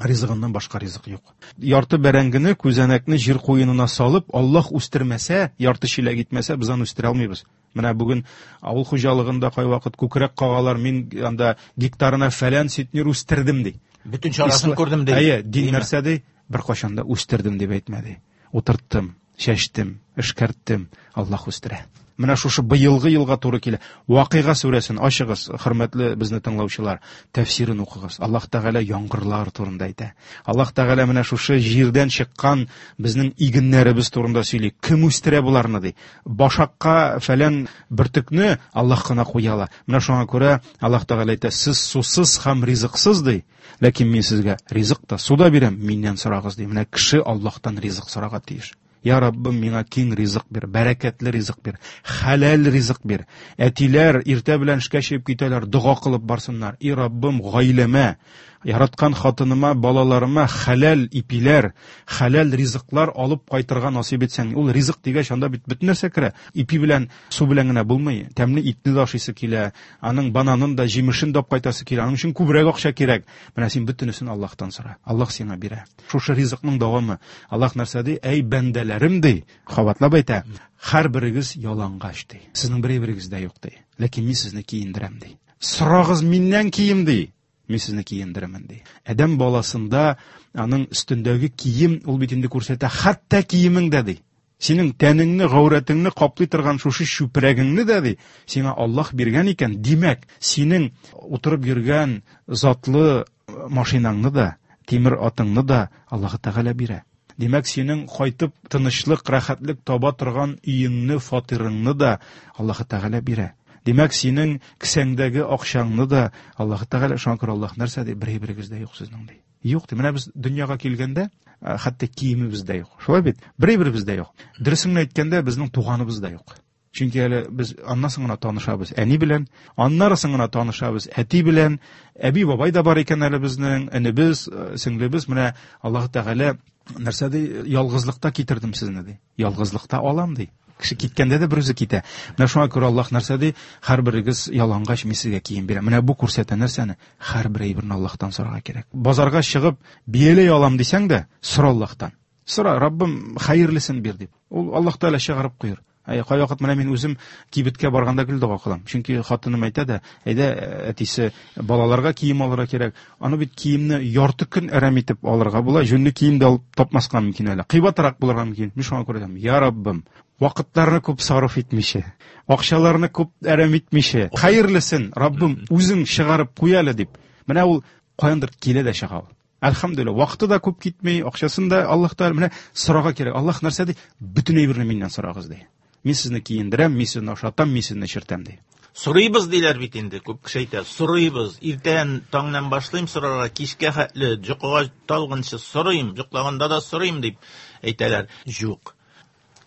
ризыгыннан башка ризык юк. Ярты бәрәңгене, күзәнәкне җир куенына салып, Аллаһ үстермәсә, ярты чиләк итмәсә, без аны үстерә алмыйбыз. Менә бүген авыл хуҗалыгында кайвакыт күкрәк кагалар, мин анда гектарына фәлән центнер үстердем ди. Бөтен чарасын күрдем ди. Әйе, дин нәрсә ди? Бер кашан да үстердем дип әйтмәде. Утырттым, чәчтем, эшкәрттем, Аллаһ үстерә. Менә шушы быелгы елга туры килә. Вакыйга сүрәсен ачыгыз, хөрмәтле безне тыңлаучылар, тәфсирен укыгыз. Аллаһ Тәгалә яңгырлар турында әйтә. Аллаһ Тәгалә менә шушы җирдән чыккан безнең игеннәребез турында сөйли. Кем үстерә боларны ди? Башакка фәлән бөртекне Аллаһ кына куя ала. Менә шуңа күрә Аллаһ Тәгалә әйтә, сез сусыз һәм ризыксыз ди. Ләкин мин сезгә ризык та, су да бирәм, миннән сорагыз ди. Менә кеше Аллаһтан ризык сорарга тиеш. Я Раббым, миңа киң ризык бир, бәрәкәтле ризык бир, хәләл ризык бир. Әтиләр иртә белән эшкә чыгып китәләр, дога кылып барсыннар. И Раббым, гаиләмә, яраткан хатыныма, балаларыма хәләл ипиләр, хәләл ризыклар алып кайтырга насыйп итсәң. Ул ризык дигәч, анда бит бөтен нәрсә керә. Ипи белән, су белән генә булмый. Тәмле итне дә ашыйсы килә, аның бананын да, җимешен дә алып кайтасы килә. Аның өчен күбрәк акча кирәк. Менә син бөтенесен Аллаһтан сора. Аллаһ сиңа бирә. Шушы ризыкның дәвамы. Аллаһ нәрсә ди? Әй бәндәләрем ди, кабатлап әйтә. Һәр берегез ялангач ди. Сезнең берегез дә юк ди. Ләкин мин сезне киендерәм ди. Сорагыз миннән кием ди. Мин сезне киендерәмен ди. Адәм баласында аның өстендәге кием ул бит инде күрсәтә, хәтта киемең дә ди. Синең тәнеңне, гаурәтеңне каплый торган шушы чүпрәгеңне дә ди, сиңа Аллаһ биргән икән, димәк, синең утырып йөргән затлы машинаңны да, тимер атыңны да Аллаһ Тәгалә бирә. Димәк, синең кайтып тынычлык, рәхәтлек таба торган өеңне, фатирыңны да Аллаһ Тәгалә бирә. Димәк, синең кесәңдәге акчаңны да Аллаһ Тәгалә, шуңа күрә Аллаһ нәрсә ди? Бер әйберегез дә юк сезнең ди. Юк ди. Менә без дөньяга килгәндә, хәтта киемебез дә юк. Шулай бит? Бер әйберебез дә юк. Дөресен әйткәндә, безнең туганыбыз да юк. Чөнки әле без аннан соң гына танышабыз әни белән, аннары соң гына танышабыз әти белән, әби бабай да бар икән әле безнең, энебез, сеңлебез. Менә Аллаһ Тәгалә нәрсә ди? Ялгызлыкта китердем сезне ди. Ялгызлыкта алам ди. Кеше киткәндә дә бер үзе китә. Менә шуңа күрә Аллаһ нәрсә ди? Һәрберегез ялангач, мин сезгә кием бирәм. Менә бу күрсәтә нәрсәне? Һәрбер әйберне Аллаһтан сорарга кирәк. Базарга чыгып бияләй алам дисәң дә, сора Аллаһтан. Сора, Раббым, хәерлесен бир дип. Ул Аллаһ Тәгалә чыгарып куер. Әй, кайвакыт менә мин үзем кибеткә барганда гел дога кылам. Чөнки хатыным әйтә дә, әйдә, әтисе, балаларга кием алырга кирәк. Аны бит киемне ярты көн әрәм итеп алырга була, җүнле кием дә алып тапмаска мөмкин әле. Кыйбатрак булырга мөмкин. Мин шуңа күрә әйтәм, я Раббым, вакытларны күп сарыф итмичә, акчаларны күп әрәм итмичә, хәерлесен, Раббым, үзең чыгарып куй әле дип. Менә ул каяндыр килә дә чыга ул. Әлхәмдүлилләһ, вакыты да күп китми, акчасын да Аллаһ Тәгалә менә сорарга кирәк. Аллаһ нәрсә ди? Бөтен әйберне миннән сорагыз ди. Мин сезне киендерәм, мин сезне ашатам, мин сезне эчертәм ди. Сорыйбыз диләр бит инде, күп кеше әйтә. Сорыйбыз. Иртән таңнан башлыйм сорарга, кичкә хәтле йокыга талгынчы сорыйм, йоклаганда да сорыйм дип әйтәләр. Юк.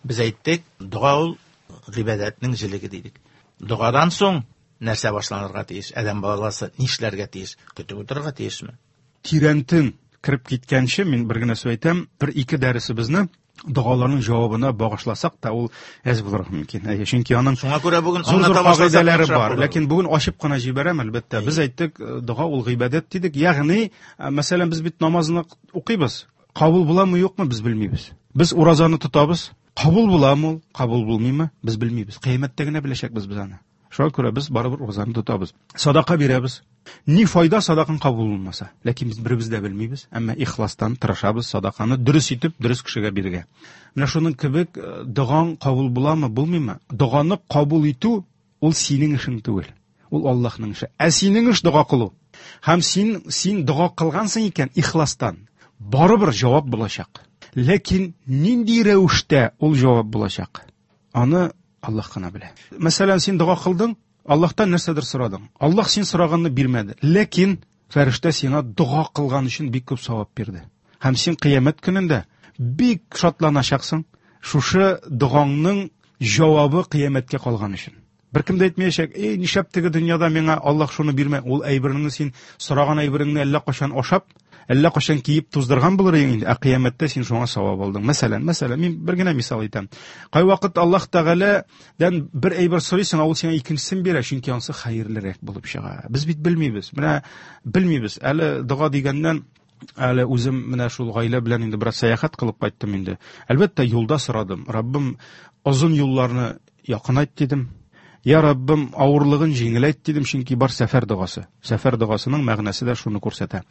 Без әйттек, дога ул гыйбадәтнең җелеге дидек. Догадан соң нәрсә башланырга тиеш? Адәм баласы нишләргә тиеш? Көтеп утырырга тиешме? Тирәнтен кереп киткәнче мин бер генә сүз әйтәм, бер ике дәресебезне догаларның җавабына багышласак та ул әз булырга мөмкин. Әйе, чөнки аның шуңа күрә бүген зур-зур аңлата башласак кагыйдәләре яхшырак бар. булыр. Ләкин бүген ачып кына җибәрәм, әлбәттә. Без әйттек, дога ул гыйбадәт дидек. Ягъни, мәсәлән, без бит намазны укыйбыз. Кабул буламы, юкмы, без белмибез. Без уразаны тотабыз. Кабул буламы ул, кабул булмыймы, без белмибез. Кыямәттә генә беләчәкбез без аны. Шуңа күрә без барыбер уразаны тотабыз. Садака бирәбез. Ни файда садакаң кабул булмаса? Ләкин без беребез дә белмибез, әмма ихластан тырышабыз садаканы дөрес итеп, дөрес кешегә бирергә. Менә шуның кебек, э, догаң кабул буламы, булмыймы? Доганы кабул итү ул синең эшең түгел. Ул Аллаһның эше. Ә синең эш дога кылу. Һәм син, син дога кылгансың икән ихластан, барыбер җавап булачак. Ләкин нинди рәвештә ул җавап булачак? Аны Аллаһ кына белә. Мәсәлән, син дога кылдың, Аллаһтан нәрсәдер сорадың. Аллаһ син сораганны бирмәде. Ләкин фәрештә сиңа дога кылган өчен бик күп савап бирде. Һәм син кыямәт көнендә бик шатланачаксың. Шушы догаңның җавабы кыямәткә калган өчен. Бер кем дә әйтмәячәк, эй, нишләп теге дөньяда миңа Аллаһ шуны бирмә? Ул әйбереңне син сораган әйбереңне әллә кайчан ашап, әллә кайчан киеп туздырган булыр идең инде. Ә кыямәттә син шуңа савап алдың. Мәсәлән, мәсәлән, мин бер генә мисал әйтәм. Кайвакыт Аллаһ Тәгаләдән бер әйбер сорыйсың, ә ул сиңа икенчесен бирә, чөнки ансы хәерлерәк булып чыга. Без бит белмибез. Менә белмибез. Әле дога дигәннән, әле үзем менә шул гаилә белән инде бераз сәяхәт кылып кайттым инде. Әлбәттә, юлда сорадым. Раббым, озын юлларны якынайт дидем. Я Раббым, авырлыгын җиңеләйт дидем, чөнки бар сәфәр догасы. Сәфәр догасының мәгънәсе дә шуны күрсәтә.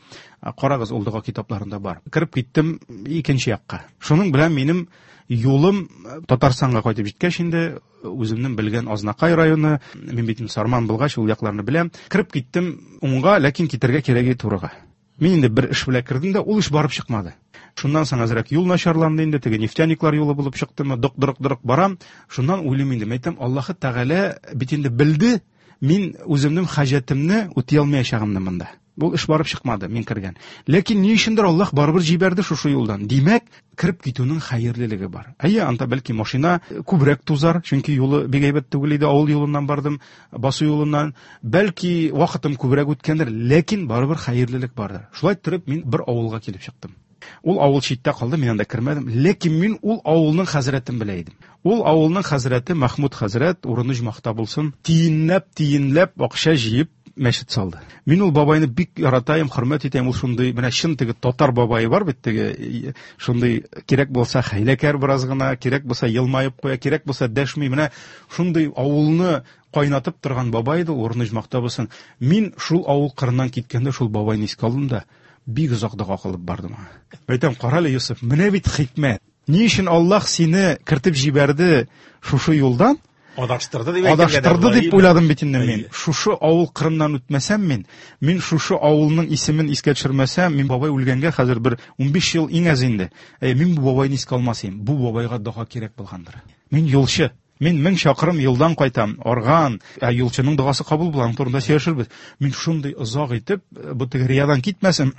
А, карагыз, ул дога китапларында бар. Кереп киттем икенче якка. Шуның белән минем юлым Татарстанга кайтып җиткәч инде, үземнең белгән Азнакай районы, мин бит инде Сарман булгач, ул якларны беләм. Кереп киттем уңга, ләкин китәргә кирәге турыга. Мин инде бер эш белән кердем дә, ул эш барып чыкмады. Шуннан соң әзрәк юл начарланды инде, теге нефтяниклар юлы булып чыктымы, дык-дырык-дырык барам. Шуннан уйлыйм инде, мәйтәм, Аллаһы Тәгалә бит инде белде, мин үземнең хаҗәтемне үти алмаячагымны монда. Бу эш барып чыкмады, мин кергән. Ләкин ни өчендер Аллаһ барыбер җибәрде шушы юлдан. Димәк, кереп китүнең хәерлелеге бар. Әйе, анда бәлки машина күбрәк тузар, чөнки юлы бик әйбәт түгел иде, авыл юлыннан бардым, басу юлыннан. Бәлки вакытым күбрәк үткәндер, ләкин барыбер хәерлелек бардыр. Шулай торып мин бер авылга килеп чыктым. Ул авыл читтә калды, мин анда кермәдем. Ләкин мин ул авылның хәзрәтен белә идем. Ул авылның хәзрәте Махмуд хәзрәт, урыны җмахта булсын, тиенләп, тиенләп акча җыеп мәчет салды. Мин ул бабайны бик яратайым, хөрмәт итәм. Ул шундый, менә чын теге татар бабае бар бит, теге шундый кирәк булса хәйләкәр бераз гына, кирәк булса елмаеп куя, кирәк булса дәшми. Менә шундый авылны кайнатып торган бабай иде, урыны җмахта булсын. Мин шул авыл кырыннан киткәндә шул бабайны искә алдым да, бик озак дога кылып бардым аңа. Әйтәм, карале, Юсуф, менә бит хикмәт. Ни өчен Аллаһ сине кертеп җибәрде шушы юлдан? Адаштырды дип Адаштырды дип уйладым бит инде мин. Шушы авыл кырыннан үтмәсәм мин, мин шушы авылның исемен искә төшермәсәм, мин бабай үлгәнгә хәзер бер унбиш ел иң аз инде. Әй, мин бу бабайны искә алмас идем. Бу бабайга дога кирәк булгандыр. Мин юлчы. Мин мең чакрым юлдан кайтам, арган, ә юлчының догасы кабул була, аның турында сөйләшербез. Мин шундый озак итеп, бу теге риядан китмәсен,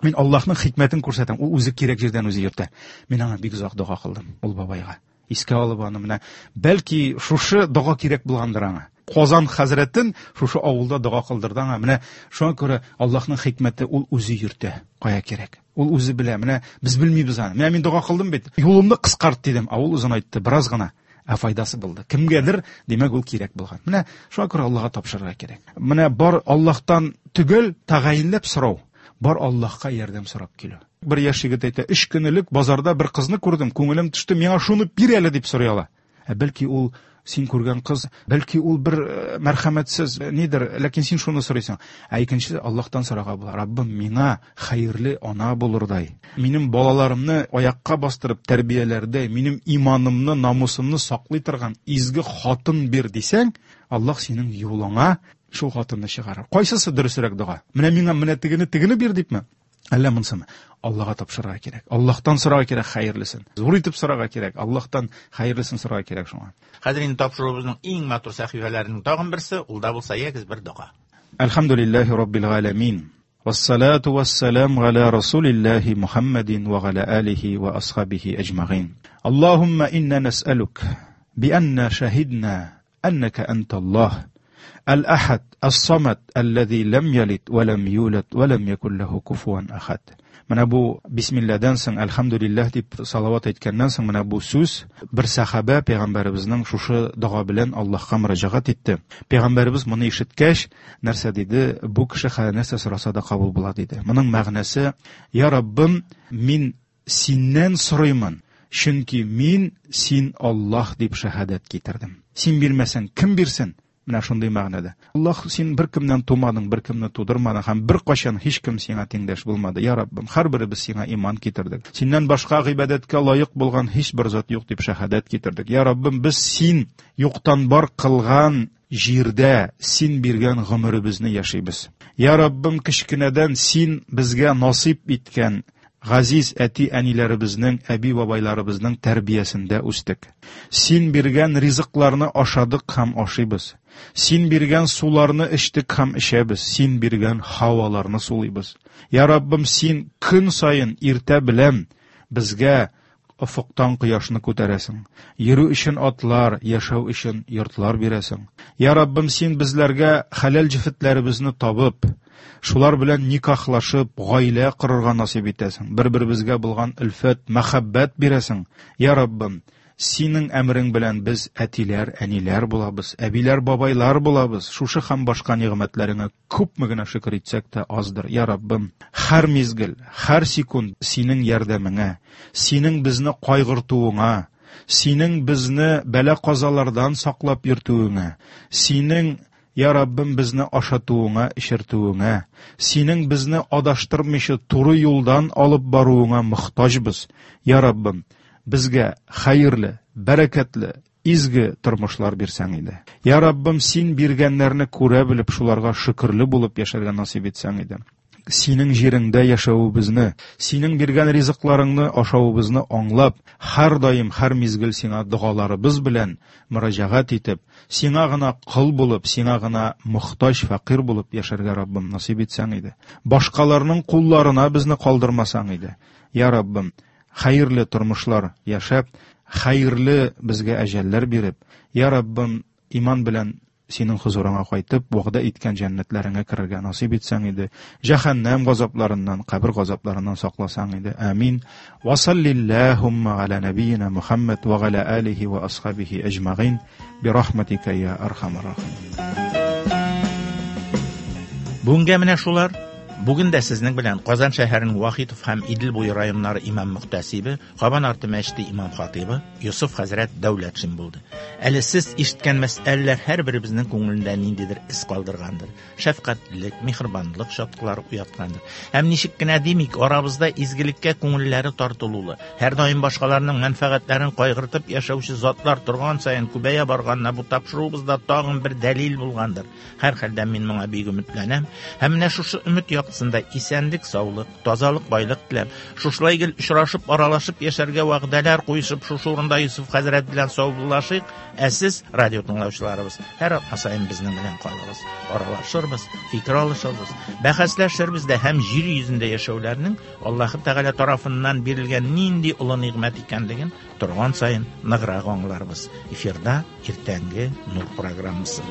мин Аллаһның хикмәтен күрсәтәм. Ул үзе кирәк җирдән үзе йөртә. Мин аңа бик озак дога кылдым, ул бабайга. Искә алып аны менә, бәлки шушы дога кирәк булгандыр аңа. Казан хәзрәтен шушы авылда дога кылдырды аңа. Менә шуңа күрә Аллаһның хикмәте ул үзе йөртә, кая кирәк. Ул үзе белә. Менә без белмибез аны. Менә мин дога кылдым бит. Юлымны кыскарт дидем. Ә ул озынайтты бераз гына. Ә файдасы булды. Кемгәдер, димәк, ул кирәк булган. Менә шуңа күрә Аллаһка тапшырырга кирәк. Менә бар Аллаһтан төгәл тәгаенләп сорау, бар Аллаһка ярдәм сорап килү. Бер яшь егет әйтә, өч көн элек базарда бер кызны күрдем, күңелем төште, миңа шуны бир әле дип сорый ала. Ә бәлки ул син күргән кыз, бәлки ул бер мәрхәмәтсез нидер, ләкин син шуны сорыйсың. Ә икенчесе Аллаһтан сорарга була. Раббым, миңа хәерле ана булырдай, минем балаларымны аякка бастырып тәрбияләрдәй, минем иманымны, намусымны саклый торган изге хатын бир дисәң, Аллаһ синең юлыңа шул хатынны чыгарыр. Кайсысы дөресрәк дога? Менә миңа менә тегене, тегене бир дипме? Әллә монсымы? Аллаһка тапшырырга кирәк. Аллаһтан сорарга кирәк хәерлесен. Зур итеп сорарга кирәк. Аллаһтан хәерлесен сорарга кирәк шуңа. Хәзер инде тапшыруыбызның иң матур сәхифәләренең тагын берсе, ул да булса ягез бер дога. Әлхәмдүлилләһи раббил галәмин. Вассалату вассалам галя расулиллаһи Мухаммадин ва галя алихи ва асхабихи аҗмагин. Аллаһумма инна нас'алук би анна шаһидна аннака анталлаһ. Аль-Ахад, Ас-Самад, аллази лам ялид ва лам юлад ва лам якул лаху куфуан ахад. Менә бу бисмилладан соң әлхәмдүлилләһ дип салават әйткәннән соң менә бу сүз бер сахаба пәйгамбәребезнең шушы дога белән Аллаһка мөрәҗәгать итте. Пәйгамбәребез моны ишеткәч, нәрсә диде? Бу кеше нәрсә сораса да кабул була диде. Моның мәгънәсе: Я Раббым, мин синнән сорыймын, чөнки мин син Аллаһ дип шәһадәт китердем. Син бирмәсәң, кем бирсен? Менә шундый мәгънәдә. Аллаһ, син бер кемнән тумадың, бер кемне тудырмадың һәм бер кашан һич кем сиңа тиңдәш булмады. Я Раббым, һәрберебез сиңа иман китердек. Синнән башка гыйбадәткә лаек булган һич бер зат юк дип шәһадәт китердек. Я Раббым, без син юктан бар кылган җирдә син биргән гомеребезне яшибез. Я Раббым, кечкенәдән син безгә насыйп иткән газиз әти-әниләребезнең, әби-бабайларыбызның тәрбиясендә үстек. Син биргән ризыкларны ашадык һәм ашыйбыз. Син биргән суларны эчтек һәм эчәбез. Син биргән һаваларны сулыйбыз. Я Раббым, син көн саен иртә белән безгә офыктан кояшны күтәрәсең. Йөрү өчен атлар, яшәү өчен йортлар бирәсең. Я Раббым, син безләргә хәләл җефетләребезне табып, шулар белән никахлашып, гаилә корырга насыйп итәсең. Бер-беребезгә булган өлфәт, мәхәббәт бирәсең. Я Раббым, синең әмрең белән без әтиләр, әниләр булабыз, әбиләр, бабайлар булабыз. Шушы һәм башка нигъмәтләреңә күпме генә шөкер итсәк тә аздыр. Я Раббым, һәр мизгел, һәр секунд синең ярдәмеңә, синең безне кайгыртуыңа, синең безне бәла-казалардан саклап йөртүеңә, синең Я Раббым, безне ашатуыңа, эчертүеңә, синең безне адаштырмыйча туры юлдан алып баруыңа мохтаҗбыз. Я Раббым, безгә хәерле, бәрәкәтле, изге тормышлар бирсәң иде. Я Раббым, син биргәннәрне күрә белеп, шуларга шөкерле булып яшәргә насыйп итсәң иде. Синең җиреңдә яшәвебезне, синең биргән ризыкларыңны ашавыбызны аңлап, һәр даим, һәр мизгел сиңа догаларыбыз белән мөрәҗәгать итеп, сиңа гына кол булып, сиңа гына мохтаҗ, фәкыйрь булып яшәргә Раббым насыйп итсәң иде. Башкаларның кулларына безне калдырмасаң иде. Я Раббым, хәерле тормышлар яшәп, хәерле безгә әҗәлләр биреп, Я Раббым, иман белән синең хозурыңа кайтып, вәгъдә иткән җәннәтләреңә керергә насыйп итсәң иде. Җәһәннәм газапларыннан, кабер газапларыннан сакласаң иде. Амин. Ва саллиллахумма аля набийна Мухаммад ва аля алихи ва асхабихи аҗмагин би рахматика я архамар рахимин. Бүгенгә менә шулар. Бүген дә сезнең белән Казан шәһәренең Вахитов һәм Идел буе районнары имам мөхтәсибе, Кабан арты мәчете имам хатибы Йосыф хәзрәт Дәүләтшин булды. Әле сез ишеткән мәсьәләләр һәрберебезнең күңелендә ниндидер эз калдыргандыр. Шәфкатьлелек, миһербанлык чаткылары уяткандыр. Һәм ничек кенә димик, арабызда изгелеккә күңелләре тартылулы, һәрдаим башкаларның мәнфәгатьләрен кайгыртып яшәүче затлар торган саен күбәя барганына бу тапшыруыбызда тагын бер дәлил булгандыр. Һәрхәлдә мин моңа бик өметләнәм. Һәм менә шушы өмет яктысында исәнлек, саулык, тазалык, байлык теләп, шушылай гел очрашып, аралашып яшәргә вәгъдәләр куешып, шушы урында Юсуф хәзрәт белән саубуллашыйк. Ә сез, радио тыңлаучыларыбыз, һәр атна саен безнең белән калыгыз. Аралашырбыз, фикер алышырбыз, бәхәсләшербез дә һәм җир йөзендә яшәүләрнең Аллаһы Тәгалә тарафыннан бирелгән нинди олы нигъмәт икәнлеген торган саен ныграк аңларбыз. Эфирда иртәнге Нур программасы.